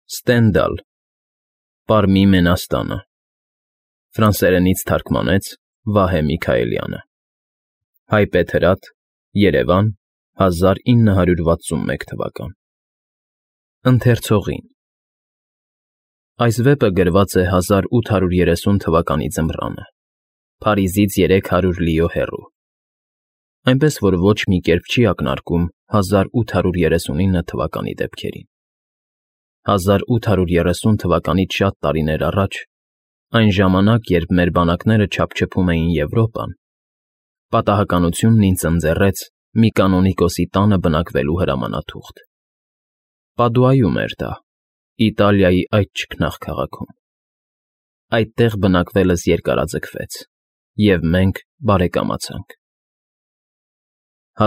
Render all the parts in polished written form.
Ստենդալ, Պարմի Մենաստանը, ֆրանսերենից թարգմանեց Վահե Միքայելյանը, հայպետ հրատ, Երևան, 1961 թվական։ Ընթերցողին։ Այս վեպը գրված է 1830 թվականի ձմռանը, Փարիզից 300 լիո հեռու, այնպես որ ոչ մի կերպ չի ակնարկում 1839 թվականի դեպքերին։ 1830 թվականից շատ տարիներ առաջ, այն ժամանակ, երբ մեր բանակները չափչփում էին Եվրոպան, պատահականությունն ինձ ընձեռեց մի կանոնիկոսի տանը բնակվելու հրամանաթուղթ։ Պադուայում էր դա, Իտալիայի այդ ճգնաղ քաղաքում։ Այդտեղ բնակվելս երկարաձգվեց, և մենք բարեկամացանք։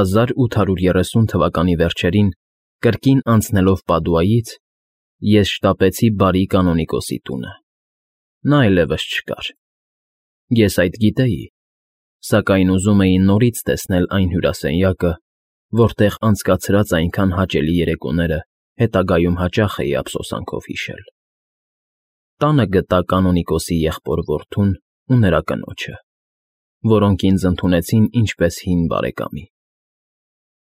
1830 թվականի վերջերին, կրկին անցնելով Պադուայից, ես շտապեցի բարի կանոնիկոսի տունը։ Նա այլևս չկար։ Ես այդ գիտեի, սակայն ուզում էի նորից տեսնել այն հյուրասենյակը, որտեղ անցկացրած այնքան հաճելի երեկոները հետագայում հաճախ էի ափսոսանքով հիշել։ Տանը գտա կանոնիկոսի եղբոր որդուն ու նրա կնոջը, որոնք ինձ ընդունեցին ինչպես հին բարեկամի։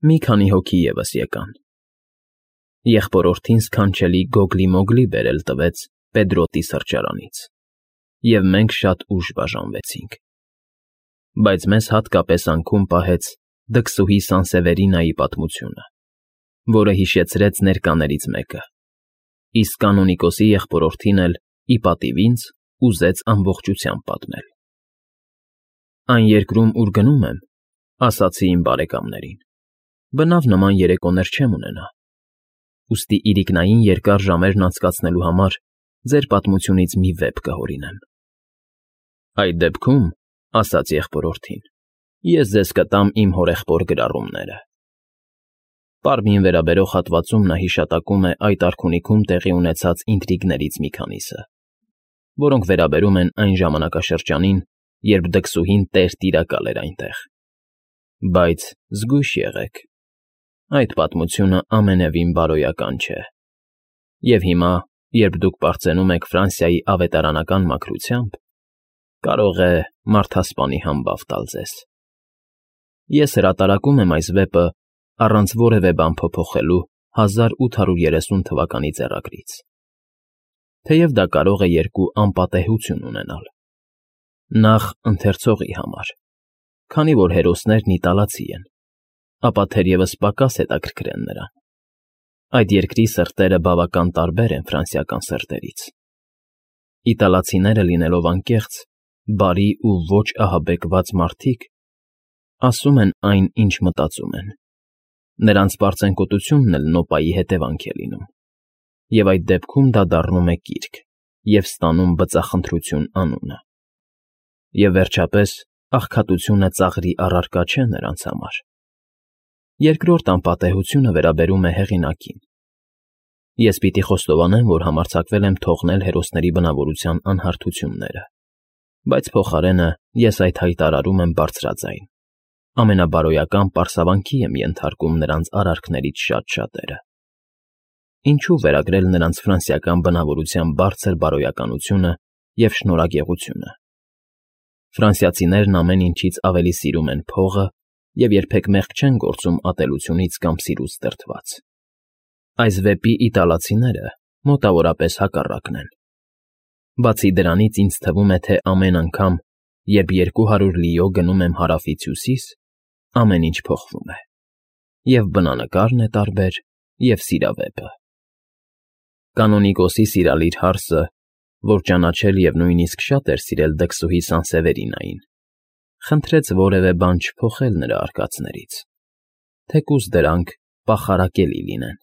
Մի քանի հոգի ևս եկան։ Եղբորորդին սքանչելի գոգլի-մոգլի բերել տվեց Պեդրոտի սրճարանից, և մենք շատ ուշ բաժանվեցինք։ Բայց մեզ հատկապես անքուն պահեց դքսուհի Սանսևերինայի պատմությունը, որը հիշեցրեց ներկաներից մեկը, իսկ կանոնիկոսի եղբորորդին էլ, ի պատիվ ինձ, ուզեց ամբողջությամբ պատմել։ Այն երկրում, ուր գնում եմ, ասացի իմ բարեկամներին, բնավ նման երեկոներ չեմ ունենա, ուստի իրիկնային երկար ժամերն անցկացնելու համար ձեր պատմությունից մի վեպ կհորինեմ։ Այդ դեպքում, ասաց եղբորորդին, ես ձեզ կտամ իմ հորեղբոր գրառումները։ Պարմին վերաբերող հատվածում նա հիշատակում է այդ արքունիքում տեղի ունեցած ինտրիգներից մի քանիսը, որոնք վերաբերում են այն ժամանակաշրջանին, երբ դքսուհին տեր֊տիրակալ էր այնտեղ։ Բայց զգույշ եղեք, այդ պատմությունը ամենևին բարոյական չէ։ Եվ հիմա, երբ դուք պարծենում եք Ֆրանսիայի ավետարանական մաքրությամբ, կարող է մարդասպանի համբավ տալ ձեզ։ Ես հրատարակում եմ այս վեպը առանց որևէ բան փոփոխելու 1830 թվականի ձեռագրից, թեև դա կարող է երկու անպատեհություն ունենալ։ Նախ ընթերցողի համար, քանի որ հերոսներն իտալացի են, ապա թերևս պակաս հետաքրքրեն նրան։ Այդ երկրի սրտերը բավական տարբեր են ֆրանսիական սրտերից։ Իտալացիները լինելով անկեղծ, բարի ու ոչ ահաբեկված մարդիկ, ասում են այն, ինչ մտածում են։ Նրանց պարծենկոտությունն էլ նոպայի հետևանք է լինում, և այդ դեպքում դա դառնում է կիրք և ստանում բծախնդրություն անունը։ Եվ վերջապես, աղքատությունը ծաղրի առարկա չէ նրանց համար։ Երկրորդ անպատեհությունը վերաբերում է հեղինակին։ Ես պիտի խոստովանեմ, որ համարձակվել եմ թողնել հերոսների բնավորության անհարթությունները, բայց փոխարենը ես այդ հայտարարում եմ բարձրաձայն, ամենաբարոյական պարսավանքի եմ ենթարկում նրանց արարքներից շատ-շատերը։ Ինչու վերագրել նրանց ֆրանսիական բնավորության բարձր բարոյականությունը և շնորհագեղությունը։ Ֆրանսիացիներն ամեն ինչից ավելի սիրում են փողը և երբեք մեղք չեն գործում ատելությունից կամ սիրուց դրդված։ Այս վեպի իտալացիները մոտավորապես հակառակն են։ Բացի դրանից ինձ թվում է, թե ամեն անգամ, երբ 200 լիո գնում եմ հարավից հյուսիս, ամեն ինչ փոխվում է։ Եվ բնանկարն է տարբեր, և սիրավեպը։ Կանոնիկոսի սիրալիր հարսը, որ ճանաչել և նույնիսկ շատ էր սիրել դքսուհի Սանսևերինային, խնդրեց որևէ բան չփոխել նրա արկածներից, թեկուզ դրանք պախարակելի լինեն։